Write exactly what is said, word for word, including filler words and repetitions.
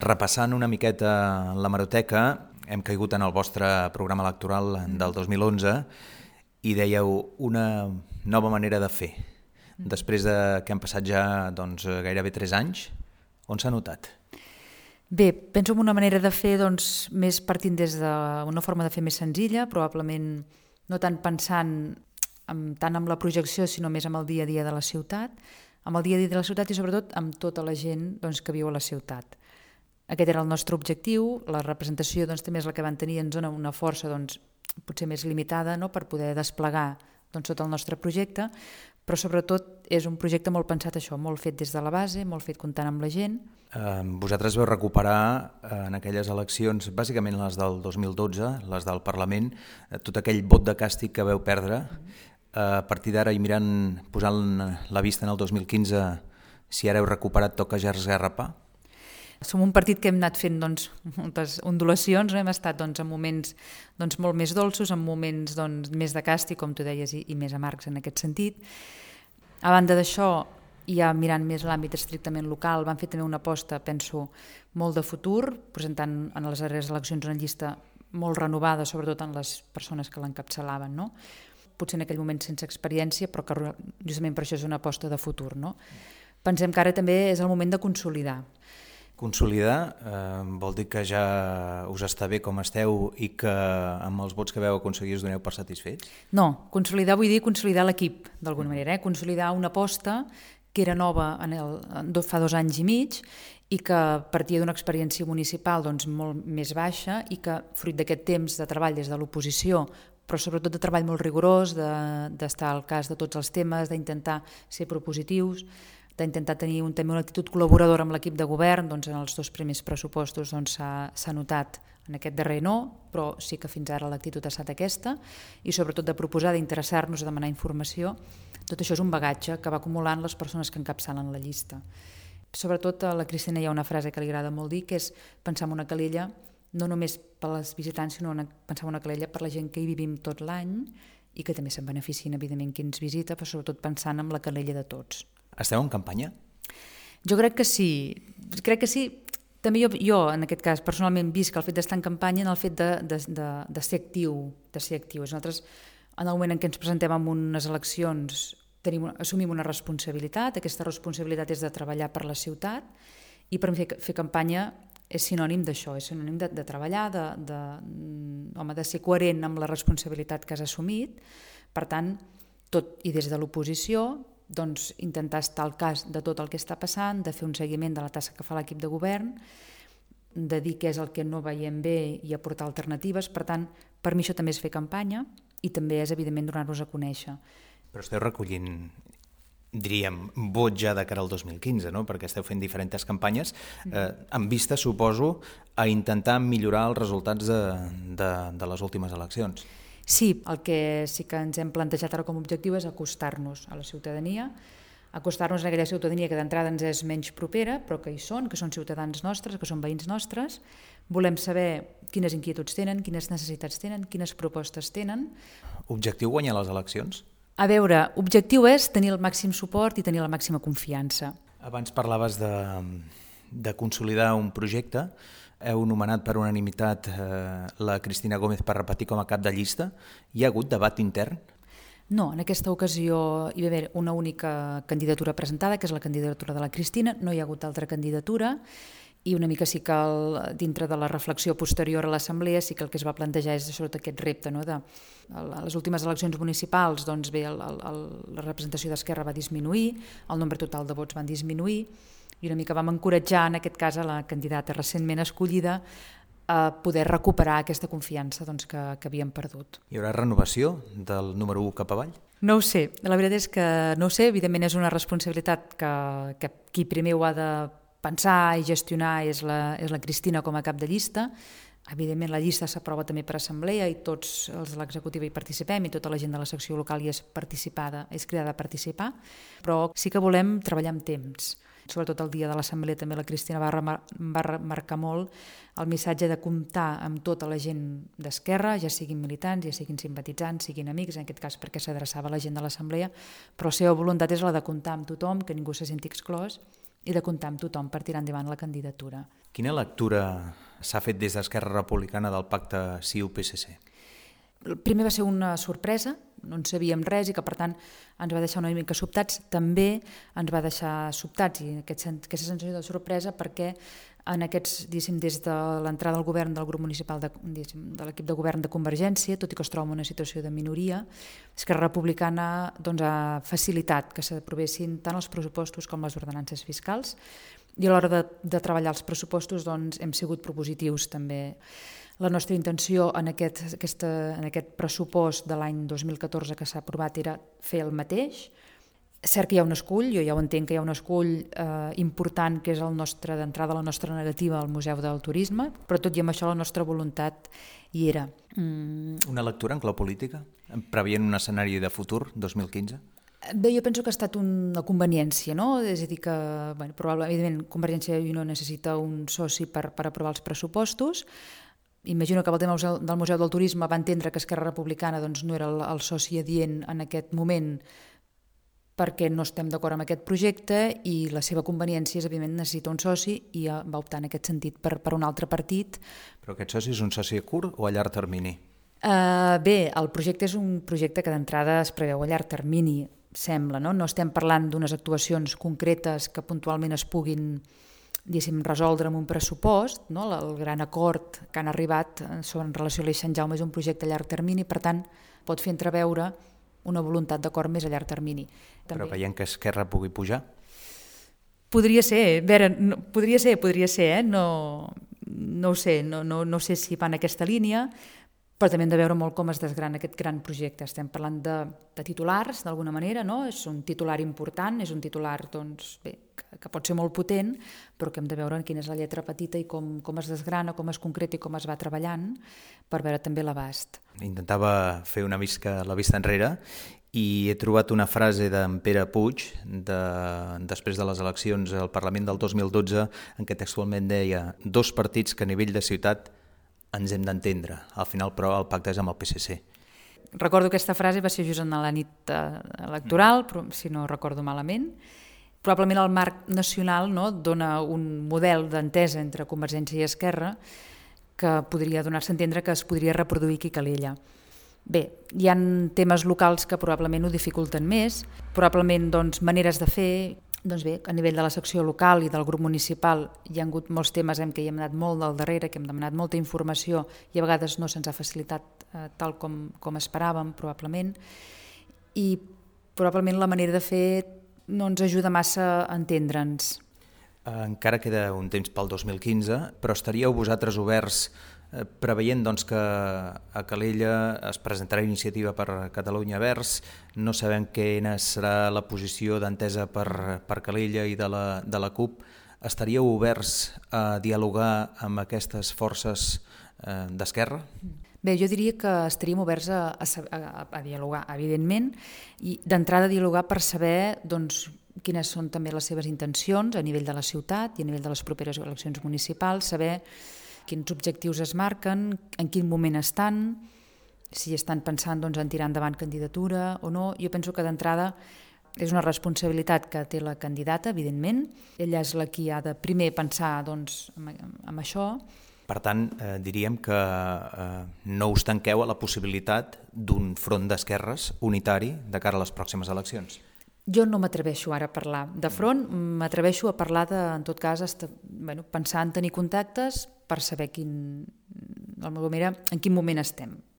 Repassant una miqueta l'hemeroteca, hem caigut en el vostre programa electoral del dos mil onze i dèieu una nova manera de fer. Després de que han passat ja doncs, gairebé tres anys, on s'ha notat? Bé, penso en una manera de fer doncs, més partint des d'una forma de fer més senzilla, probablement no tant pensant en, tant en la projecció, sinó més en el dia a dia de la ciutat, amb el dia a dia de la ciutat i sobretot amb tota la gent doncs, que viu a la ciutat. Aquest era el nostre objectiu, la representació doncs, també és la que van tenir, ens dona una força doncs, potser més limitada no? Per poder desplegar doncs, tot el nostre projecte, però sobretot és un projecte molt pensat això, molt fet des de la base, molt fet comptant amb la gent. Eh, vosaltres veu recuperar eh, en aquelles eleccions, bàsicament les del dos mil dotze, les del Parlament, eh, tot aquell vot de càstig que veu perdre. Eh, a partir d'ara i mirant, posant la vista en el dos mil quinze, si ara heu recuperat toca ja esgarrapar? Som un partit que hem anat fent doncs, moltes ondulacions, no? Hem estat doncs, en moments doncs, molt més dolços, en moments doncs, més de càstig, com tu deies, i, i més amargs en aquest sentit. A banda d'això, ja mirant més l'àmbit estrictament local, van fer també una aposta, penso, molt de futur, presentant en les darreres eleccions una llista molt renovada, sobretot en les persones que l'encapçalaven, no? Potser en aquell moment sense experiència, però que justament per això és una aposta de futur. No? Pensem que ara també és el moment de consolidar. Consolidar eh, vol dir que ja us està bé com esteu i que amb els vots que veu aconseguir us doneu per satisfets? No, consolidar vull dir consolidar l'equip, d'alguna manera, eh? Consolidar una aposta que era nova en el, fa dos anys i mig i que partia d'una experiència municipal doncs, molt més baixa i que, fruit d'aquest temps de treball des de l'oposició, però sobretot de treball molt rigorós, d'estar de, al cas de tots els temes, d'intentar ser propositius, d'intentar tenir un, també una actitud col·laboradora amb l'equip de govern, doncs en els dos primers pressupostos doncs, s'ha notat, en aquest darrer no, però sí que fins ara l'actitud ha estat aquesta, i sobretot de proposar, d'interessar-nos, de demanar informació. Tot això és un bagatge que va acumulant les persones que encapçalen la llista. Sobretot a la Cristina hi ha una frase que li agrada molt dir, que és pensar en una calella, no només per als visitants, sinó una, pensar en una calella per la gent que hi vivim tot l'any i que també se'n beneficien, evidentment, qui ens visita, però sobretot pensant en la calella de tots. Esteu en campanya? Jo crec que sí. Crec que sí. També jo, jo en aquest cas, personalment visc el fet d'estar en campanya en el fet de, de, de, de ser actiu. De ser actiu. Nosaltres, en el moment en què ens presentem en unes eleccions, tenim, assumim una responsabilitat. Aquesta responsabilitat és de treballar per la ciutat i per fer, fer campanya és sinònim d'això, és sinònim de, de treballar, de, de, home, de ser coherent amb la responsabilitat que has assumit. Per tant, tot i des de l'oposició, doncs, intentar estar al cas de tot el que està passant, de fer un seguiment de la tasca que fa l'equip de govern, de dir què és el que no veiem bé i aportar alternatives. Per tant, per mi això també és fer campanya i també és, evidentment, donar-nos a conèixer. Però esteu recollint, diríem, vot ja de cara al dos mil quinze, no? Perquè esteu fent diferents campanyes, eh, amb vista, suposo, a intentar millorar els resultats de, de, de les últimes eleccions. Sí, el que sí que ens hem plantejat ara com a objectiu és acostar-nos a la ciutadania, acostar-nos a aquella ciutadania que d'entrada ens és menys propera, però que hi són, que són ciutadans nostres, que són veïns nostres. Volem saber quines inquietuds tenen, quines necessitats tenen, quines propostes tenen. Objectiu guanyar les eleccions? A veure, objectiu és tenir el màxim suport i tenir la màxima confiança. Abans parlaves de, de consolidar un projecte. Heu nomenat per unanimitat eh, la Cristina Gómez per repetir com a cap de llista. Hi ha hagut debat intern? No, en aquesta ocasió hi va haver una única candidatura presentada, que és la candidatura de la Cristina, no hi ha hagut altra candidatura, i una mica sí que el, dintre de la reflexió posterior a l'Assemblea sí que el que es va plantejar és sobretot aquest repte, no? De, a les últimes eleccions municipals doncs bé, el, el, la representació d'Esquerra va disminuir, el nombre total de vots van disminuir, i una mica vam encoratjar, en aquest cas, a la candidata recentment escollida a poder recuperar aquesta confiança doncs, que, que havíem perdut. Hi haurà renovació del número u cap avall? No ho sé, la veritat és que no ho sé, evidentment és una responsabilitat que, que qui primer ho ha de pensar i gestionar és la, és la Cristina com a cap de llista. Evidentment la llista s'aprova també per assemblea i tots els de l'executiva hi participem i tota la gent de la secció local hi és participada, és cridada a participar, però sí que volem treballar amb temps. Sobretot el dia de l'assemblea també la Cristina va, remar, va remarcar molt el missatge de comptar amb tota la gent d'Esquerra, ja siguin militants, ja siguin simpatitzants, siguin amics, en aquest cas perquè s'adreçava a la gent de l'assemblea, però la seva voluntat és la de comptar amb tothom, que ningú se senti exclòs i de comptar amb tothom per tirar endavant la candidatura. Quina lectura s'ha fet des d'Esquerra Republicana del pacte C I U P S C? El primer va ser una sorpresa, no en sabíem res i que per tant ens va deixar una mica sobtats. També ens va deixar sobtats i aquest, aquesta sensació de sorpresa perquè en aquests, diguéssim, des de l'entrada al govern del grup municipal de, de l'equip de govern de Convergència, tot i que es troba en una situació de minoria, Esquerra Republicana doncs, ha facilitat que s'aprovessin tant els pressupostos com les ordenances fiscals i a l'hora de, de treballar els pressupostos doncs, hem sigut propositius també. La nostra intenció en aquest, aquesta, en aquest pressupost de l'any dos mil catorze que s'ha aprovat era fer el mateix. Cert que hi ha un escull, jo ja ho entenc que hi ha un escull eh, important que és el nostre d'entrada la nostra negativa al Museu del Turisme, però tot i amb això la nostra voluntat hi era. Mm. Una lectura en clau política, preveient un escenari de futur, dos mil quinze? Bé, jo penso que ha estat una conveniència, no? És a dir que, bueno, probablement, evidentment, Convergència i Unió necessita un soci per, per aprovar els pressupostos. Imagino que el tema del Museu del Turisme va entendre que Esquerra Republicana doncs, no era el, el soci adient en aquest moment perquè no estem d'acord amb aquest projecte i la seva conveniència és, evidentment, necessita un soci i va optar en aquest sentit per, per un altre partit. Però aquest soci és un soci a curt o a llarg termini? Uh, bé, el projecte és un projecte que d'entrada es preveu a llarg termini, sembla, no? No estem parlant d'unes actuacions concretes que puntualment es puguin resoldre amb un pressupost, no? El gran acord que han arribat sobre en relació a l'Eix Sant Jaume és un projecte a llarg termini, per tant, pot fer entreveure una voluntat d'acord més a llarg termini. També. Però veient que Esquerra pugui pujar? Podria ser, veure, no, podria ser, podria ser, eh? no, no ho sé, no, no, no sé si va en aquesta línia, però també hem de veure molt com es desgrana aquest gran projecte. Estem parlant de, de titulars, d'alguna manera, no? És un titular important, és un titular doncs, bé, que, que pot ser molt potent, però que hem de veure quina és la lletra petita i com, com es desgrana, com es concreta i com es va treballant per veure també l'abast. Intentava fer una mica la vista enrere i he trobat una frase d'en Pere Puig de, després de les eleccions al Parlament del dos mil dotze en què textualment deia dos partits que a nivell de ciutat ens hem d'entendre. Al final, però, el pacte és amb el P S C. Recordo aquesta frase, va ser just en la nit electoral, però, si no recordo malament. Probablement el marc nacional no, dona un model d'entesa entre Convergència i Esquerra que podria donar-se a entendre que es podria reproduir aquí a Calella. Bé, hi ha temes locals que probablement ho dificulten més, probablement doncs, maneres de fer. Doncs bé, a nivell de la secció local i del grup municipal hi ha hagut molts temes en què hi hem anat molt del darrere, que hem demanat molta informació i a vegades no se'ns ha facilitat eh, tal com, com esperàvem, probablement. I probablement la manera de fer no ens ajuda massa a entendre'ns. Encara queda un temps pel dos mil quinze, però estaríeu vosaltres oberts eh, preveient doncs, que a Calella es presentarà iniciativa per Catalunya Verds, no sabem quina serà la posició d'entesa per, per Calella i de la, de la CUP, estaríeu oberts a dialogar amb aquestes forces eh, d'Esquerra? Bé, jo diria que estaríem oberts a, a, a, a dialogar, evidentment, i d'entrada a dialogar per saber doncs, quines són també les seves intencions a nivell de la ciutat i a nivell de les properes eleccions municipals, saber quins objectius es marquen, en quin moment estan, si estan pensant doncs, en tirar endavant candidatura o no. Jo penso que d'entrada és una responsabilitat que té la candidata, evidentment. Ella és la qui ha de primer pensar doncs, en, en això. Per tant, eh, diríem que eh, no us tanqueu a la possibilitat d'un front d'esquerres unitari de cara a les pròximes eleccions. Jo no m'atreveixo ara a parlar de front, m'atreveixo a parlar de, en tot cas, esta, bueno, pensar en tenir contactes per saber quin, en quin moment estem.